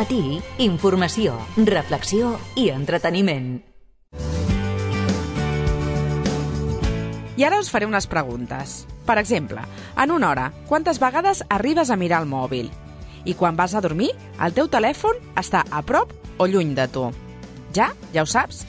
matí, informació, reflexió i entreteniment. I ara us faré unes preguntes. Per exemple, en una hora, quantes vegades arribes a mirar el mòbil? I quan vas a dormir, el teu telèfon està a prop o lluny de tu? Ja ho saps?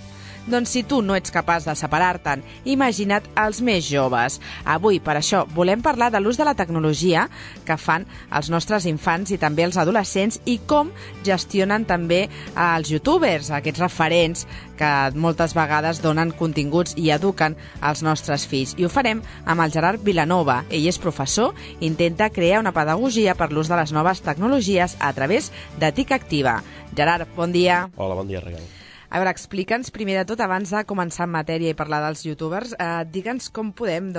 Doncs si tu no ets capaç de separar-te'n, imagina't els més joves. Avui, per això, volem parlar de l'ús de la tecnologia que fan els nostres infants i també els adolescents i com gestionen també els youtubers, aquests referents que moltes vegades donen continguts i eduquen els nostres fills. I ho farem amb el Gerard Vilanova. Ell és professor i intenta crear una pedagogia per l'ús de les noves tecnologies a través de TIC Activa. Gerard, bon dia. Hola, bon dia, Raquel. A veure, explica'ns primer de tot, abans de començar en matèria i parlar dels youtubers, digue'ns com podem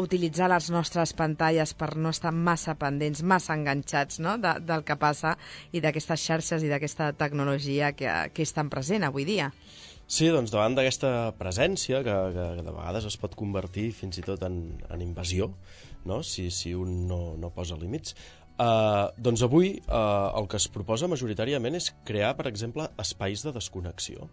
utilitzar les nostres pantalles per no estar massa pendents, massa enganxats, no?, del que passa i d'aquestes xarxes i d'aquesta tecnologia que és tan present avui dia. Sí, doncs davant d'aquesta presència, que de vegades es pot convertir fins i tot en invasió, no?, si un no posa límits, doncs avui el que es proposa majoritàriament és crear, per exemple, espais de desconnexió.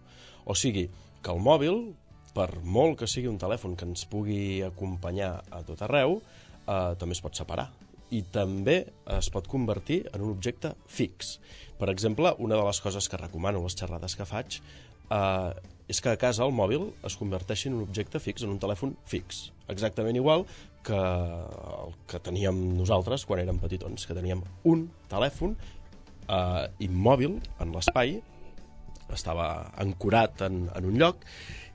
O sigui, que el mòbil, per molt que sigui un telèfon que ens pugui acompanyar a tot arreu, també es pot separar. I també es pot convertir en un objecte fix. Per exemple, una de les coses que recomano a les xerrades que faig és que a casa el mòbil es converteixi en un objecte fix, en un telèfon fix. Exactament igual que el que teníem nosaltres quan érem petitons, que teníem un telèfon immòbil en l'espai, estava ancorat en un lloc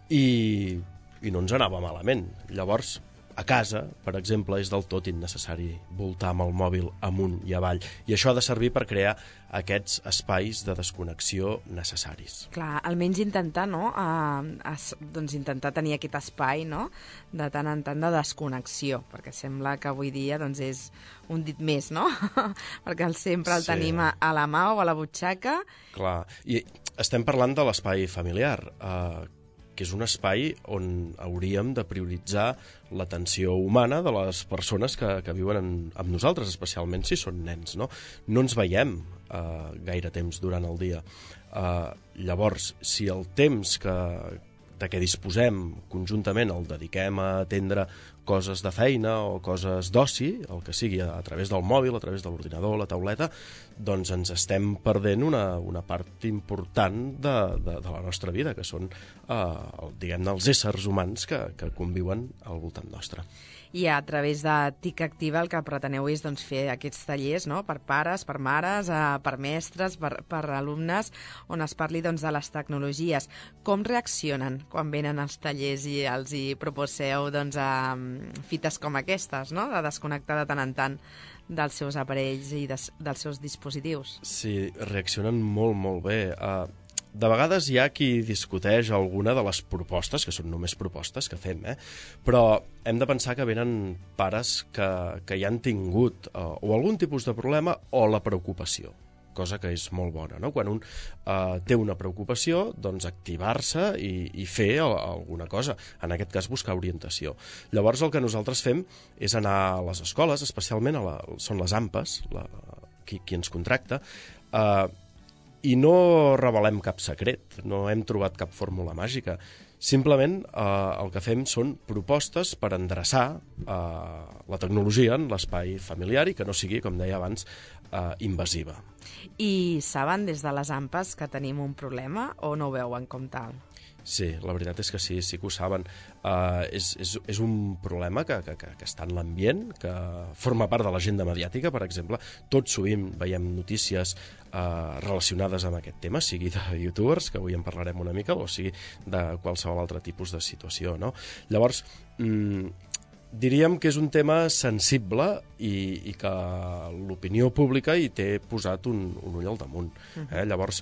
i no ens anava malament. Llavors, a casa, per exemple, és del tot innecessari voltar amb el mòbil amunt i avall. I això ha de servir per crear aquests espais de desconnexió necessaris. Clar, almenys intentar, no?, doncs intentar tenir aquest espai, no?, de tant en tant de desconnexió, perquè sembla que avui dia doncs, és un dit més, no? Perquè sempre el tenim a la mà o a la butxaca. Clar, i estem parlant de l'espai familiar, que és un espai on hauríem de prioritzar l'atenció humana de les persones que viuen amb nosaltres, especialment si són nens, no? No ens veiem gaire temps durant el dia. Llavors, si el temps de què disposem conjuntament el dediquem a atendre coses de feina o coses d'oci, el que sigui, a través del mòbil, a través de l'ordinador, la tauleta, doncs ens estem perdent una part important de la nostra vida, que són, diguem-ne, els éssers humans que conviuen al voltant nostre. I a través de TIC Activa el que preteneu és doncs, fer aquests tallers, no?, per pares, per mares, per mestres, per alumnes, on es parli doncs, de les tecnologies. Com reaccionen quan venen als tallers i els hi proposeu doncs, fites com aquestes, no?, de desconnectar de tant en tant dels seus aparells i dels seus dispositius? Sí, reaccionen molt, molt bé. De vegades hi ha qui discuteix alguna de les propostes, que són només propostes que fem, però hem de pensar que venen pares que ja han tingut o algun tipus de problema o la preocupació, cosa que és molt bona, no? Quan un té una preocupació, doncs activar-se i fer alguna cosa, en aquest cas buscar orientació. Llavors el que nosaltres fem és anar a les escoles, especialment són les AMPAs, qui ens contracta, i no revelem cap secret, no hem trobat cap fórmula màgica. Simplement el que fem són propostes per endreçar la tecnologia en l'espai familiar i que no sigui, com deia abans, invasiva. I saben des de les AMPAs que tenim un problema o no ho veuen com tal? Sí, la veritat és que sí que ho saben. És un problema que està en l'ambient, que forma part de l'agenda mediàtica, per exemple. Tot sovint veiem notícies relacionades amb aquest tema, sigui de youtubers, que avui en parlarem una mica, o sigui de qualsevol altre tipus de situació, no? Llavors, diríem que és un tema sensible i que l'opinió pública hi té posat un ull al damunt. Llavors,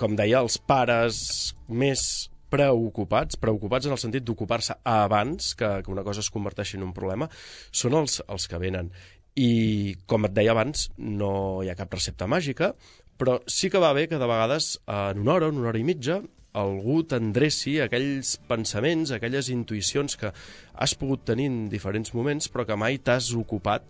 com deia, els pares més preocupats en el sentit d'ocupar-se abans que una cosa es converteixi en un problema, són els que venen. I, com et deia abans, no hi ha cap recepta màgica, però sí que va bé que de vegades, en una hora i mitja, algú t'endreci aquells pensaments, aquelles intuïcions que has pogut tenir en diferents moments, però que mai t'has ocupat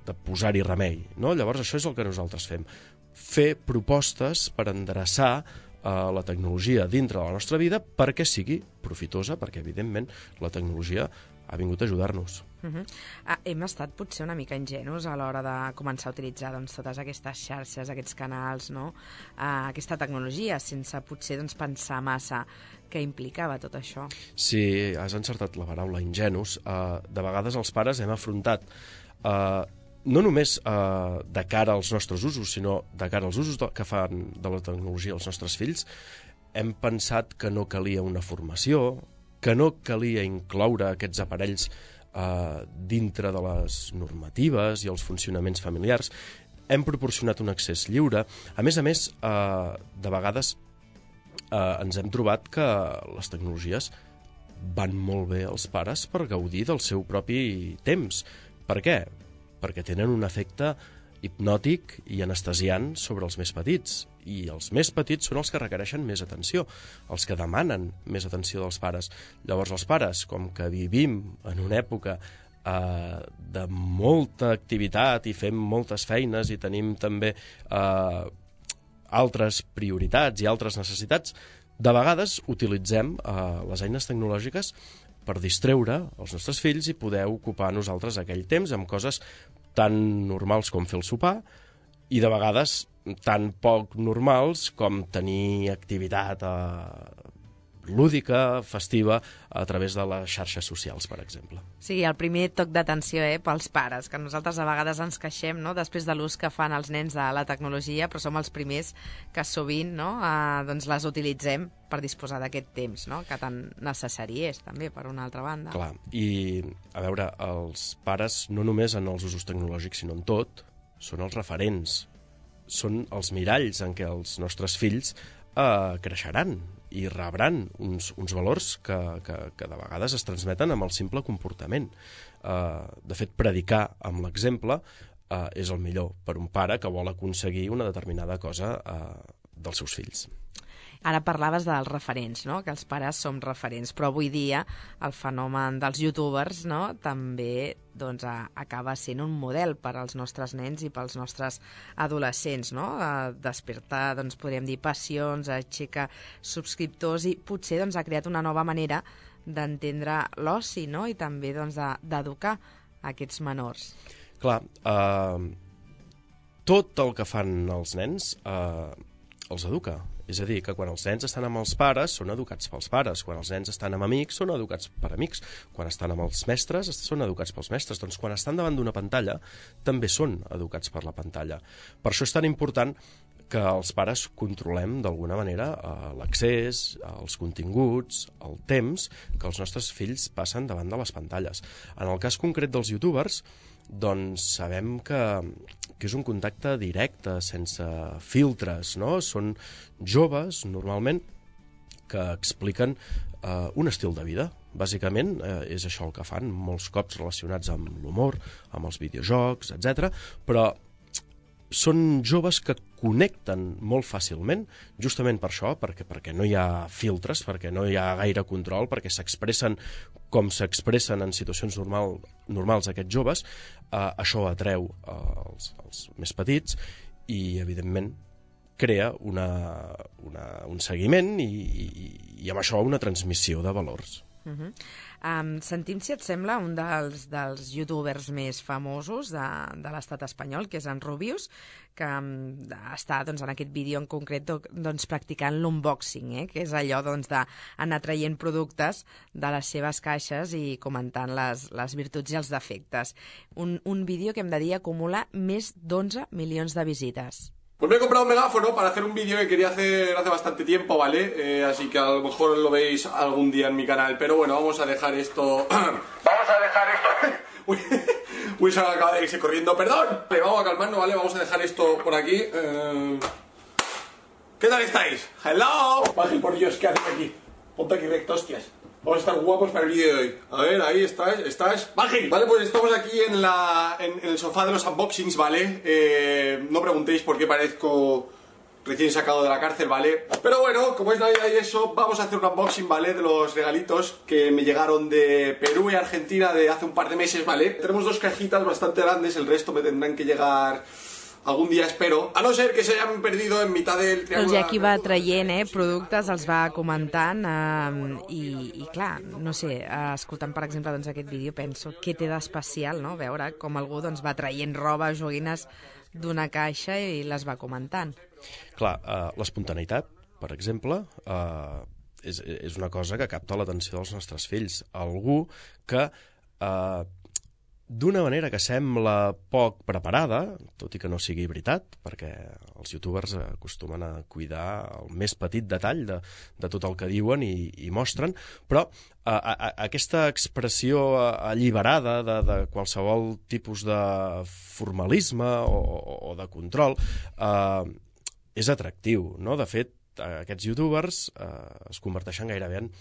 de posar-hi remei, no? Llavors això és el que nosaltres fem. Fer propostes per endreçar la tecnologia dintre de la nostra vida perquè sigui profitosa, perquè evidentment la tecnologia ha vingut a ajudar-nos. Hem estat potser una mica ingenus a l'hora de començar a utilitzar totes aquestes xarxes, aquests canals, no? Aquesta tecnologia, sense potser pensar massa què implicava tot això. Sí, has encertat la paraula, ingenus. De vegades els pares hem afrontat no només de cara als nostres usos, sinó de cara als usos que fan de la tecnologia els nostres fills, hem pensat que no calia una formació, que no calia incloure aquests aparells dintre de les normatives i els funcionaments familiars. Hem proporcionat un accés lliure. A més, de vegades ens hem trobat que les tecnologies van molt bé als pares per gaudir del seu propi temps. Per què? Perquè tenen un efecte hipnòtic i anestesiant sobre els més petits. I els més petits són els que requereixen més atenció, els que demanen més atenció dels pares. Llavors els pares, com que vivim en una època de molta activitat i fem moltes feines i tenim també altres prioritats i altres necessitats, de vegades utilitzem les eines tecnològiques per distreure els nostres fills i poder ocupar nosaltres aquell temps amb coses tan normals com fer el sopar i de vegades tan poc normals com tenir activitat lúdica, festiva, a través de les xarxes socials, per exemple. Sí, el primer toc d'atenció pels pares, que nosaltres a vegades ens queixem, no?, després de l'ús que fan els nens de la tecnologia, però som els primers que sovint les utilitzem per disposar d'aquest temps, no?, que tan necessari és, també, per una altra banda. Clar, i a veure, els pares, no només en els usos tecnològics, sinó en tot, són els referents, són els miralls en què els nostres fills creixeran i rebran uns valors que de vegades es transmeten amb el simple comportament. De fet, predicar amb l'exemple és el millor per un pare que vol aconseguir una determinada cosa dels seus fills. Ara parlaves dels referents, no?, que els pares som referents, però avui dia el fenomen dels youtubers, no?, també acaba sent un model per als nostres nens i pels nostres adolescents, no?, despertar, podríem dir, passions, aixecar subscriptors i potser ha creat una nova manera d'entendre l'oci, no?, i també d'educar aquests menors. Clar, tot el que fan els nens els educa. És a dir, que quan els nens estan amb els pares són educats pels pares, quan els nens estan amb amics són educats per amics, quan estan amb els mestres són educats pels mestres, doncs quan estan davant d'una pantalla també són educats per la pantalla. Per això és tan important que els pares controlem d'alguna manera l'accés, els continguts, el temps que els nostres fills passen davant de les pantalles. En el cas concret dels youtubers, doncs sabem que és un contacte directe, sense filtres, no? Són joves, normalment, que expliquen un estil de vida. Bàsicament és això el que fan, molts cops relacionats amb l'humor, amb els videojocs, etc. Però són joves que connecten molt fàcilment, justament per això, perquè no hi ha filtres, perquè no hi ha gaire control, perquè s'expressen com s'expressen en situacions normals aquests joves. Això atreu els més petits i, evidentment, crea un seguiment i amb això una transmissió de valors. Sentim, si et sembla, un dels youtubers més famosos de l'estat espanyol, que és en Rubius, que està en aquest vídeo en concret practicant l'unboxing, que és allò d'anar traient productes de les seves caixes i comentant les virtuts i els defectes. Un vídeo que hem de dir acumula més d'11 milions de visites. Pues me he comprado un megáfono para hacer un vídeo que quería hacer hace bastante tiempo, ¿vale? Así que a lo mejor lo veis algún día en mi canal. Pero bueno, vamos a dejar esto... ¡Vamos a dejar esto! Wilson acaba de irse corriendo. ¡Perdón! Vamos a calmarnos, ¿vale? Vamos a dejar esto por aquí. ¿Qué tal estáis? ¡Hello! Ángel, por Dios, ¿qué haces aquí? Ponte aquí recto, hostias. Vamos a estar guapos para el vídeo de hoy. A ver, ahí estás. ¡Ángel! Vale, pues estamos aquí en el sofá de los unboxings, ¿vale? No preguntéis por qué parezco recién sacado de la cárcel, ¿vale? Pero bueno, como es Navidad y eso, vamos a hacer un unboxing, ¿vale? De los regalitos que me llegaron de Perú y Argentina de hace un par de meses, ¿vale? Tenemos 2 cajitas bastante grandes, el resto me tendrán que llegar algun dia, espero, a no ser que se hayan perdido en mitad del triángulo. Doncs ja aquí va traient productes, els va comentant i clar, no sé, escoltant per exemple doncs, aquest vídeo penso què té d'especial, no? Veure com algú doncs, va traient roba, joguines d'una caixa i les va comentant. Clar, l'espontaneïtat, per exemple, és una cosa que capta l'atenció dels nostres fills. Algú que d'una manera que sembla poc preparada, tot i que no sigui veritat, perquè els youtubers acostumen a cuidar el més petit detall de tot el que diuen i mostren, però aquesta expressió alliberada de qualsevol tipus de formalisme o de control és atractiu, no? De fet, aquests youtubers es converteixen gairebé en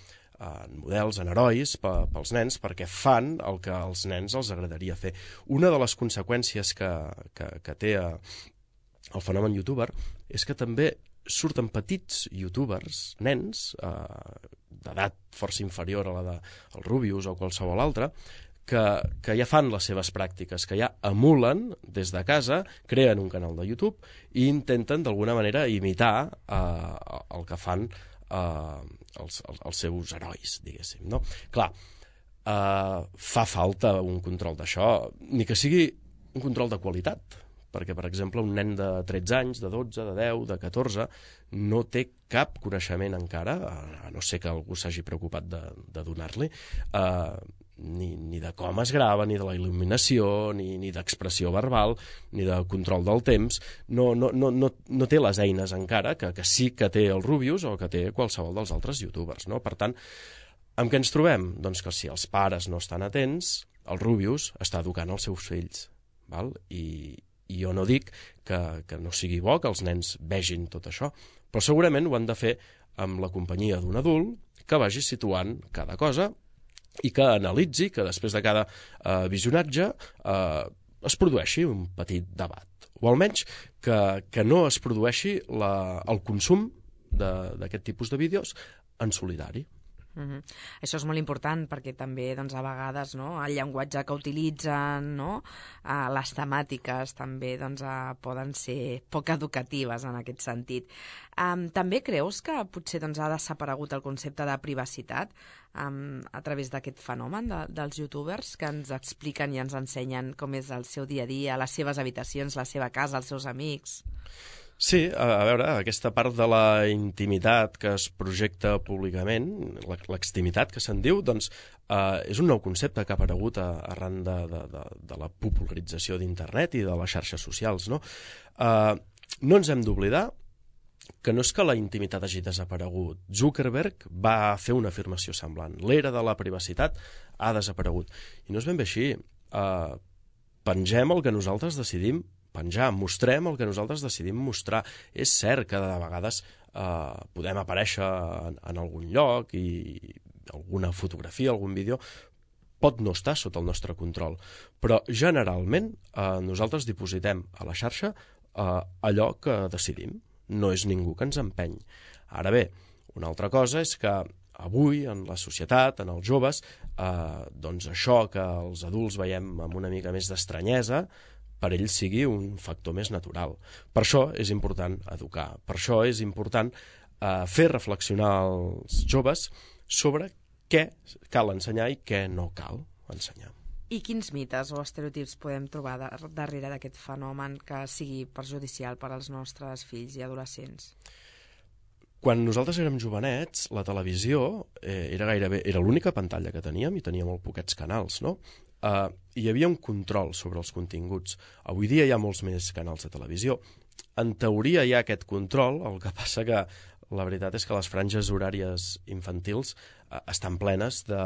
models, en herois pels nens, perquè fan el que als nens els agradaria fer. Una de les conseqüències que té el fenomen youtuber és que també surten petits youtubers, nens, d'edat força inferior a la del Rubius o qualsevol altre, que ja fan les seves pràctiques, que ja emulen des de casa, creen un canal de YouTube i intenten d'alguna manera imitar el que fan els seus herois, diguéssim, no? Clar, fa falta un control d'això, ni que sigui un control de qualitat, perquè, per exemple, un nen de 13 anys, de 12, de 10, de 14, no té cap coneixement encara, a no ser que algú s'hagi preocupat de donar-li, ni de com es grava, ni de la il·luminació, ni d'expressió verbal, ni de control del temps. No té les eines encara que sí que té el Rubius o que té qualsevol dels altres youtubers, no? Per tant, amb què ens trobem? Doncs que si els pares no estan atents, el Rubius està educant els seus fills, val? I jo no dic que no sigui bo que els nens vegin tot això, però segurament ho han de fer amb la companyia d'un adult que vagi situant cada cosa i que analitzi, que després de cada visionatge es produeixi un petit debat. O almenys que no es produeixi el consum d'aquest tipus de vídeos en solitari. Això és molt important perquè també doncs, a vegades no, el llenguatge que utilitzen, no, les temàtiques també doncs, poden ser poc educatives en aquest sentit. També creus que potser doncs, ha desaparegut el concepte de privacitat a través d'aquest fenomen dels youtubers que ens expliquen i ens ensenyen com és el seu dia a dia, les seves habitacions, la seva casa, els seus amics? Sí, a veure, aquesta part de la intimitat que es projecta públicament, l'extimitat que se'n diu, doncs és un nou concepte que ha aparegut arran de la popularització d'internet i de les xarxes socials, no? No ens hem d'oblidar que no és que la intimitat hagi desaparegut. Zuckerberg va fer una afirmació semblant. L'era de la privacitat ha desaparegut. I no és ben bé així. Pengem el que nosaltres decidim penjar, mostrem el que nosaltres decidim mostrar. És cert que de vegades podem aparèixer en algun lloc i alguna fotografia, algun vídeo pot no estar sota el nostre control, però generalment nosaltres dipositem a la xarxa allò que decidim. No és ningú que ens empeny. Ara bé, una altra cosa és que avui, en la societat, en els joves, doncs això que els adults veiem amb una mica més d'estranyesa, per ells sigui un factor més natural. Per això és important educar, per això és important fer reflexionar els joves sobre què cal ensenyar i què no cal ensenyar. I quins mites o estereotips podem trobar darrere d'aquest fenomen que sigui perjudicial per als nostres fills i adolescents? Quan nosaltres érem jovenets, la televisió era l'única pantalla que teníem i tenia molt poquets canals, no? Hi havia un control sobre els continguts. Avui dia hi ha molts més canals de televisió. En teoria hi ha aquest control, el que passa que la veritat és que les franges horàries infantils estan plenes de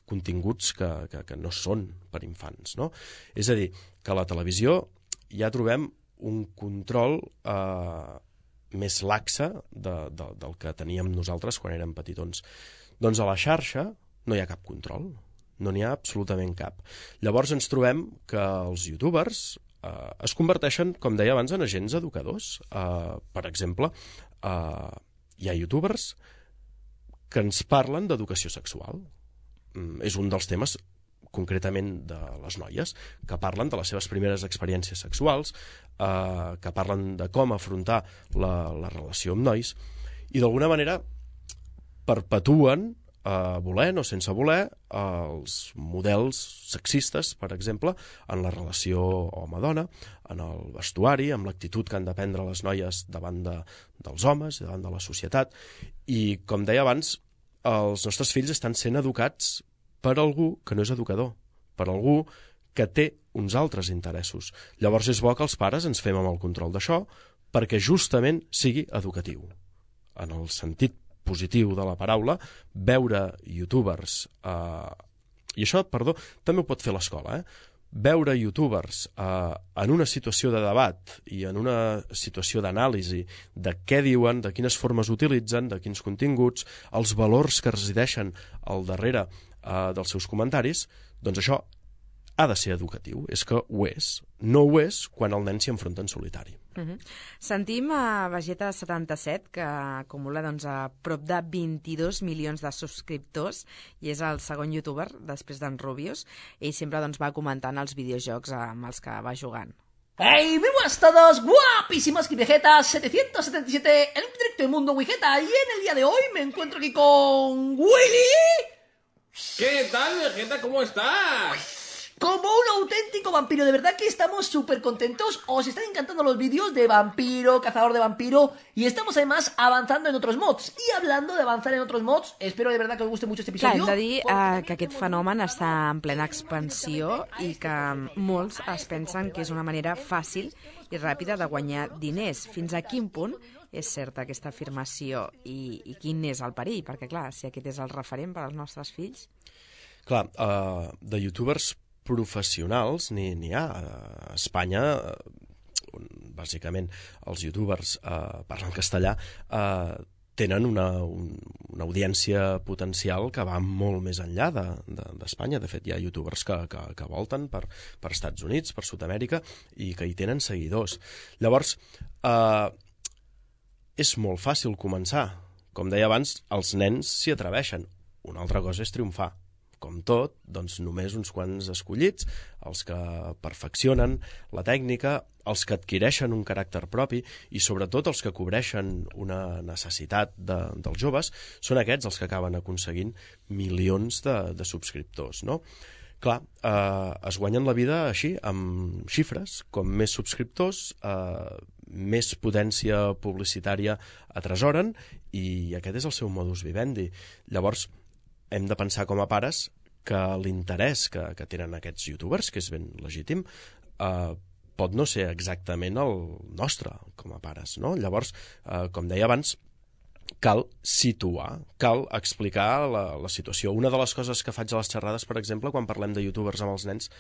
continguts que no són per infants, no? És a dir, que a la televisió ja trobem un control més laxe del que teníem nosaltres quan érem petitons. Doncs a la xarxa no hi ha cap control, no n'hi ha absolutament cap. Llavors ens trobem que els youtubers es converteixen, com deia abans, en agents educadors. Per exemple, hi ha youtubers que ens parlen d'educació sexual. És un dels temes concretament de les noies, que parlen de les seves primeres experiències sexuals, que parlen de com afrontar la relació amb nois, i d'alguna manera perpetuen, volent o sense voler, els models sexistes, per exemple, en la relació home-dona, en el vestuari, amb l'actitud que han de prendre les noies davant dels homes, davant de la societat. I, com deia abans, els nostres fills estan sent educats per algú que no és educador, per algú que té uns altres interessos. Llavors és bo que els pares ens fem amb el control d'això perquè justament sigui educatiu. En el sentit positiu de la paraula, veure youtubers, i això, perdó, també ho pot fer l'escola, veure youtubers en una situació de debat i en una situació d'anàlisi de què diuen, de quines formes utilitzen, de quins continguts, els valors que resideixen al darrere dels seus comentaris, doncs això ha de ser educatiu. És que ho és. No ho és quan el nen s'hi enfronta en solitari. Sentim a Vegeta77, que acumula a prop de 22 milions de subscriptors i és el segon youtuber després d'en Rubius. Ell sempre va comentant els videojocs amb els que va jugant. ¡Hey! ¡Muy buenas a todos! ¡Guapísimos! Aquí Vegeta 777 en un directo de Mundo Wigeta, y en el día de hoy me encuentro aquí con Willy. ¿Qué tal, Vegeta? ¿Cómo estás? Como un auténtico vampiro, de verdad que estamos súper contentos. Os están encantando los vídeos de vampiro, cazador de vampiro, y estamos además avanzando en otros mods. Y hablando de avanzar en otros mods, espero de verdad que os guste mucho este episodio. Clar, hem de dir que aquest fenomen està en plena expansió i que molts es pensen que és una manera fàcil i ràpida de guanyar diners. Fins a quin punt és certa aquesta afirmació i quin és el perill? Perquè, clar, si aquest és el referent per als nostres fills... Clar, de youtubers professionals n'hi ha a Espanya, on bàsicament els youtubers parlant castellà tenen una audiència potencial que va molt més enllà d'Espanya. De fet, hi ha youtubers que volten per Estats Units, per Sud-amèrica, i que hi tenen seguidors. Llavors, és molt fàcil començar. Com deia abans, els nens s'hi atreveixen. Una altra cosa és triomfar. Com tot, doncs només uns quants escollits, els que perfeccionen la tècnica, els que adquireixen un caràcter propi i sobretot els que cobreixen una necessitat dels joves, són aquests els que acaben aconseguint milions de subscriptors, no? Clar, es guanyen la vida així, amb xifres. Com més subscriptors, més potència publicitària atresoren i aquest és el seu modus vivendi. Llavors, hem de pensar com a pares que l'interès que tenen aquests youtubers, que és ben legítim, pot no ser exactament el nostre com a pares, no? Llavors, com deia abans, cal situar, cal explicar la situació. Una de les coses que faig a les xerrades, per exemple, quan parlem de youtubers amb els nens,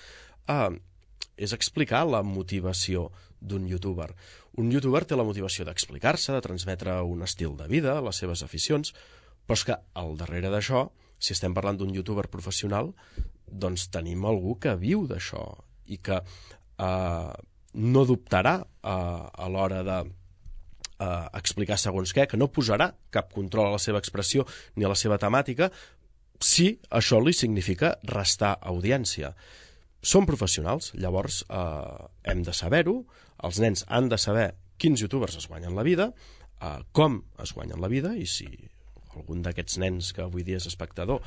és explicar la motivació d'un youtuber. Un youtuber té la motivació d'explicar-se, de transmetre un estil de vida, les seves aficions, però és que al darrere d'això, si estem parlant d'un youtuber professional, doncs tenim algú que viu d'això i que no dubtarà a l'hora d'explicar segons què, que no posarà cap control a la seva expressió ni a la seva temàtica si això li significa restar audiència. Són professionals, llavors hem de saber-ho, els nens han de saber quins youtubers es guanyen la vida, com es guanyen la vida, i si algun d'aquests nens que avui dia és espectador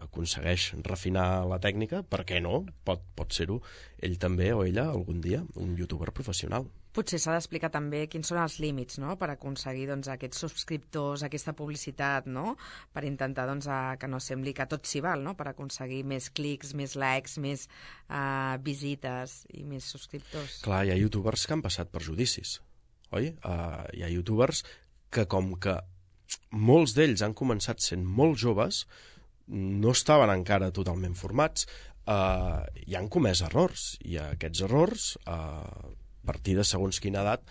aconsegueix refinar la tècnica, per què no? Pot ser-ho ell també o ella algun dia un youtuber professional. Potser s'ha d'explicar també quins són els límits, no?, per aconseguir aquests subscriptors, aquesta publicitat, no?, per intentar que no sembli que tot s'hi val, no?, per aconseguir més clics, més likes, més visites i més subscriptors. Clar, hi ha youtubers que han passat per judicis, oi? Hi ha youtubers que, com que molts d'ells han començat sent molt joves, no estaven encara totalment formats, i han comès errors, i aquests errors, a partir de segons quina edat,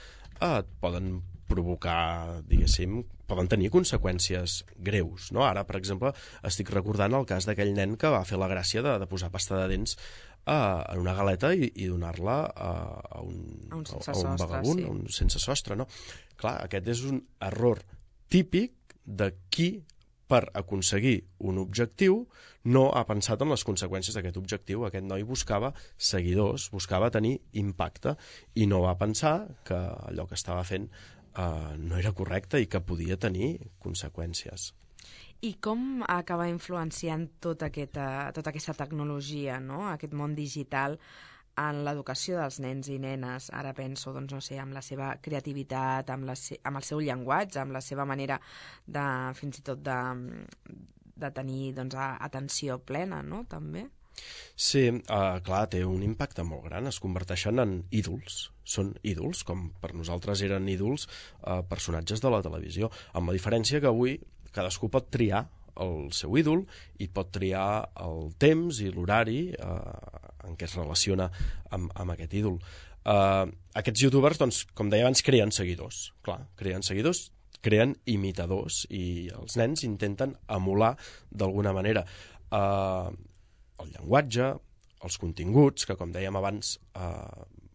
poden provocar, diguéssim, poden tenir conseqüències greus, no? Ara, per exemple, estic recordant el cas d'aquell nen que va fer la gràcia de posar pasta de dents en una galeta i donar-la a un vagabund, a un sense sostre, no? Clar, aquest és un error típic de qui, per aconseguir un objectiu, no ha pensat en les conseqüències d'aquest objectiu. Aquest noi buscava seguidors, buscava tenir impacte, i no va pensar que allò que estava fent no era correcte i que podia tenir conseqüències. I com acaba influenciant tota aquesta tecnologia, no? Aquest món digital, en l'educació dels nens i nenes? Ara penso, doncs, no sé, amb la seva creativitat, amb el seu llenguatge, amb la seva manera de, fins i tot de tenir, doncs, atenció plena, no?, també. Sí, clar, té un impacte molt gran. Es converteixen en ídols. Són ídols, com per nosaltres eren ídols personatges de la televisió, amb la diferència que avui cadascú pot triar el seu ídol i pot triar el temps i l'horari en què es relaciona amb aquest ídol. Aquests youtubers, doncs, com deia abans, creen seguidors. Clar, creen seguidors, creen imitadors, i els nens intenten emular d'alguna manera el llenguatge, els continguts, que, com dèiem abans,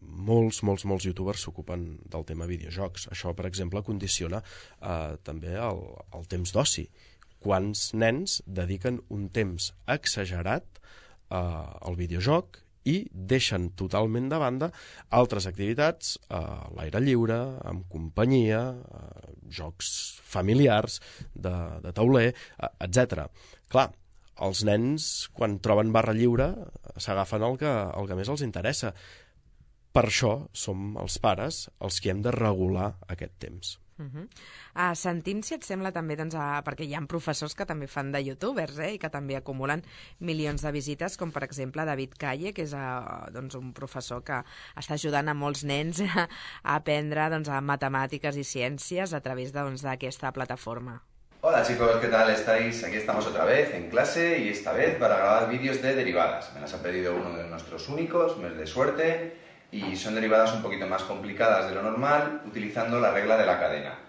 molts youtubers s'ocupen del tema videojocs. Això, per exemple, condiciona també el temps d'oci. Quants nens dediquen un temps exagerat al videojoc i deixen totalment de banda altres activitats a l'aire lliure, amb companyia, jocs familiars, de tauler, etc. Clar, els nens, quan troben barra lliure, s'agafen el que més els interessa. Per això som els pares els que hem de regular aquest temps. Sentim, si et sembla, també, doncs, perquè hi ha professors que també fan de youtubers, i que també acumulen milions de visites, com per exemple David Calle, que és doncs, un professor que està ajudant a molts nens a aprendre, doncs, a matemàtiques i ciències a través, doncs, d'aquesta plataforma. Hola chicos, ¿qué tal estáis? Aquí estamos otra vez en clase, y esta vez para grabar vídeos de derivadas. Me las ha pedido uno de nuestros únicos, mes de suerte, y son derivadas un poquito más complicadas de lo normal, utilizando la regla de la cadena.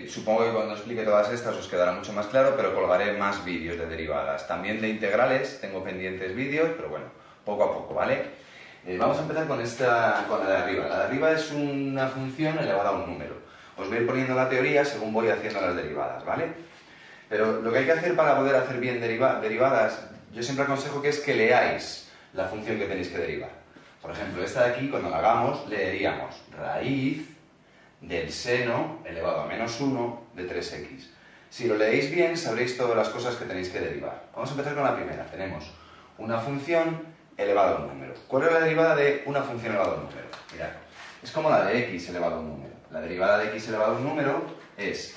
Supongo que cuando explique todas estas os quedará mucho más claro, pero colgaré más vídeos de derivadas. También de integrales tengo pendientes vídeos, pero bueno, poco a poco, ¿vale? Vamos a empezar con la de arriba. La de arriba es una función elevada a un número. Os voy a ir poniendo la teoría según voy haciendo las derivadas, ¿vale? Pero lo que hay que hacer para poder hacer bien derivadas, yo siempre aconsejo que es que leáis la función que tenéis que derivar. Por ejemplo, esta de aquí, cuando la hagamos, leeríamos raíz del seno elevado a menos 1 de 3x. Si lo leéis bien, sabréis todas las cosas que tenéis que derivar. Vamos a empezar con la primera. Tenemos una función elevada a un número. ¿Cuál es la derivada de una función elevada a un número? Mirad, es como la de x elevado a un número. La derivada de x elevado a un número es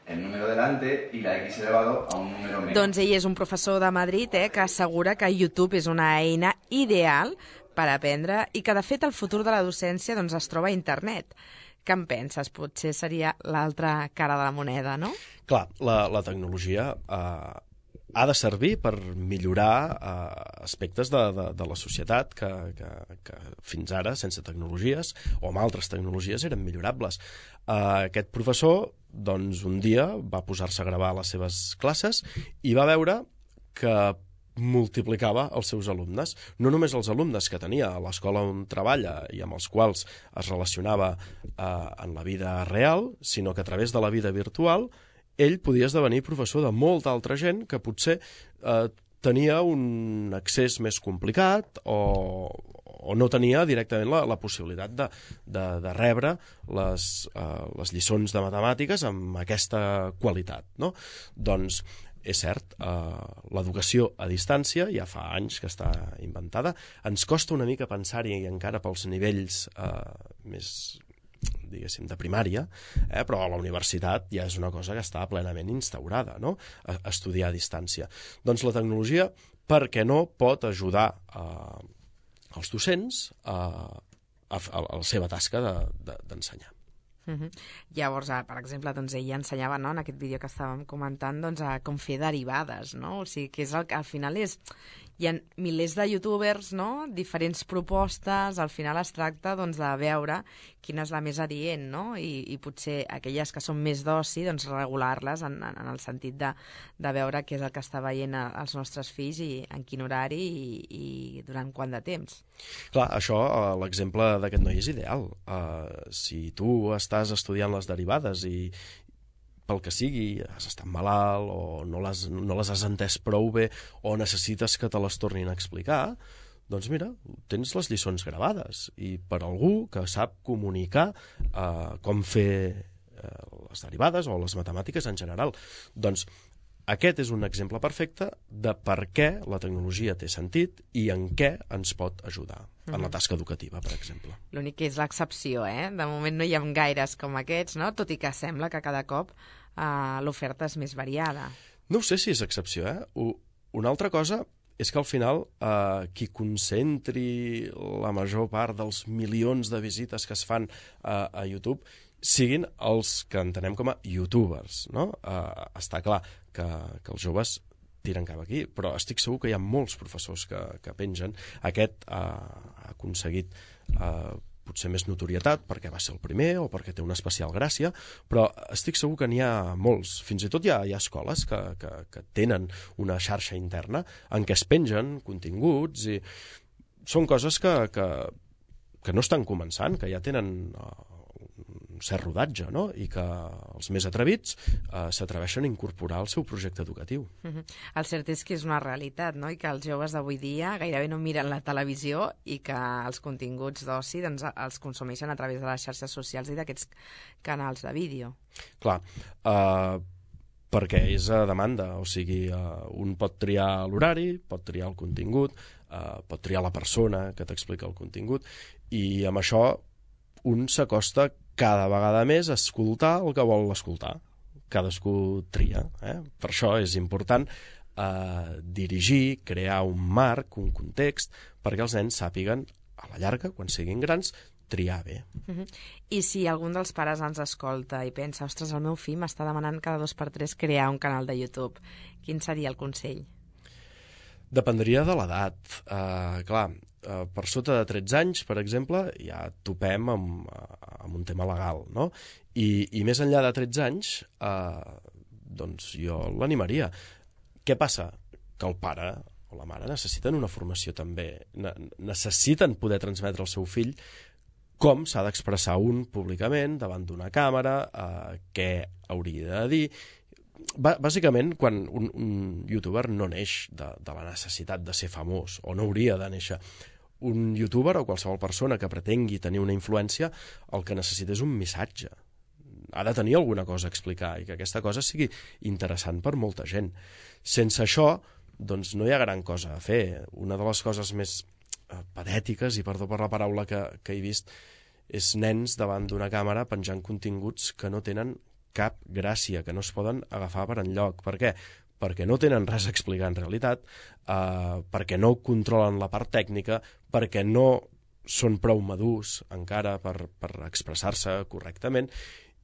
el número delante i la x elevado a un número menys. Doncs ell és un professor de Madrid que assegura que YouTube és una eina ideal per aprendre i que, de fet, el futur de la docència, doncs, es troba a internet. Què en penses? Potser seria l'altra cara de la moneda, no? Clar, la tecnologia ha de servir per millorar aspectes de la societat que fins ara, sense tecnologies o amb altres tecnologies, eren millorables. Aquest professor, doncs, un dia va posar-se a gravar les seves classes i va veure que multiplicava els seus alumnes. No només els alumnes que tenia a l'escola on treballa i amb els quals es relacionava en la vida real, sinó que a través de la vida virtual ell podia esdevenir professor de molta altra gent que potser tenia un accés més complicat o no tenia directament la possibilitat de rebre les lliçons de matemàtiques amb aquesta qualitat, no? Doncs és cert, l'educació a distància ja fa anys que està inventada. Ens costa una mica pensar-hi encara pels nivells més, diguéssim, de primària, però a la universitat ja és una cosa que està plenament instaurada, no? Estudiar a distància. Doncs la tecnologia, per què no, pot ajudar els docents a la seva tasca d'ensenyar. Llavors, per exemple, doncs, ell ensenyava, no, en aquest vídeo que estàvem comentant, doncs, a com fer derivades, no? O sigui, que és al final hi ha milers de youtubers, no? Diferents propostes, al final es tracta doncs, de veure quina és la més adient, no? I potser aquelles que són més d'oci, doncs regular-les en el sentit de veure què és el que està veient els nostres fills i en quin horari i durant quant de temps. Clar, això, l'exemple d'aquest noi és ideal. Si tu estàs estudiant les derivades i pel que sigui, has estat malalt o no les has entès prou bé o necessites que te les tornin a explicar, doncs mira, tens les lliçons gravades i per algú que sap comunicar com fer les derivades o les matemàtiques en general. Doncs aquest és un exemple perfecte de per què la tecnologia té sentit i en què ens pot ajudar en la tasca educativa, per exemple. L'únic que és l'excepció, De moment no hi ha gaires com aquests, no? Tot i que sembla que cada cop l'oferta és més variada. No ho sé si és excepció, Una altra cosa és que al final qui concentri la major part dels milions de visites que es fan a YouTube siguin els que entenem com a youtubers, no? Està clar que els joves tiren cap aquí, però estic segur que hi ha molts professors que pengen. Aquest ha aconseguit potser més notorietat perquè va ser el primer o perquè té una especial gràcia, però estic segur que n'hi ha molts. Fins i tot hi ha escoles que tenen una xarxa interna en què es pengen continguts i són coses que no estan començant, que ja tenen un cert rodatge, no? I que els més atrevits s'atreveixen a incorporar al seu projecte educatiu. El cert és que és una realitat, no? I que els joves d'avui dia gairebé no miren la televisió i que els continguts d'oci doncs, els consumeixen a través de les xarxes socials i d'aquests canals de vídeo. Clar, perquè és a demanda, o sigui, un pot triar l'horari, pot triar el contingut, pot triar la persona que t'explica el contingut, i amb això un s'acosta cada vegada més a escoltar el que vol escoltar. Cadascú tria. Per això és important dirigir, crear un marc, un context, perquè els nens sàpiguen, a la llarga, quan siguin grans, triar bé. I si algun dels pares ens escolta i pensa, ostres, el meu fill m'està demanant cada 2x3 crear un canal de YouTube, quin seria el consell? Dependria de l'edat. Clar, per sota de 13 anys, per exemple, ja topem amb un tema legal, no? I més enllà de 13 anys, doncs jo l'animaria. Què passa? Que el pare o la mare necessiten una formació també. Necessiten poder transmetre al seu fill com s'ha d'expressar un públicament davant d'una càmera, què hauria de dir. Bàsicament, quan un youtuber no neix de la necessitat de ser famós, o no hauria de néixer, un youtuber o qualsevol persona que pretengui tenir una influència, el que necessita és un missatge. Ha de tenir alguna cosa a explicar i que aquesta cosa sigui interessant per molta gent. Sense això, doncs no hi ha gran cosa a fer. Una de les coses més patètiques, i perdó per la paraula que he vist, és nens davant d'una càmera penjant continguts que no tenen cap gràcia, que no es poden agafar per enlloc. Per què? Perquè no tenen res a explicar en realitat, perquè no controlen la part tècnica, perquè no són prou madurs encara per expressar-se correctament,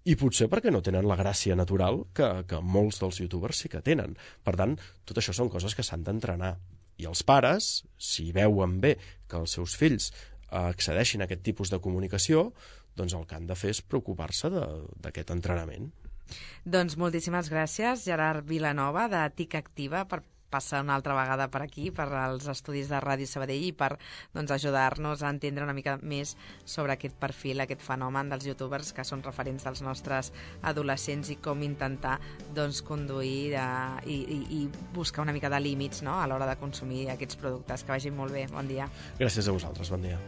i potser perquè no tenen la gràcia natural que molts dels youtubers sí que tenen. Per tant, tot això són coses que s'han d'entrenar. I els pares, si veuen bé que els seus fills accedeixin a aquest tipus de comunicació, doncs el que han de fer és preocupar-se d'aquest entrenament. Doncs moltíssimes gràcies, Gerard Vilanova, de TIC Activa, per passar una altra vegada per aquí, per als estudis de Ràdio Sabadell i per ajudar-nos a entendre una mica més sobre aquest perfil, aquest fenomen dels youtubers que són referents dels nostres adolescents i com intentar conduir i buscar una mica de límits a l'hora de consumir aquests productes. Que vagin molt bé. Bon dia. Gràcies a vosaltres. Bon dia.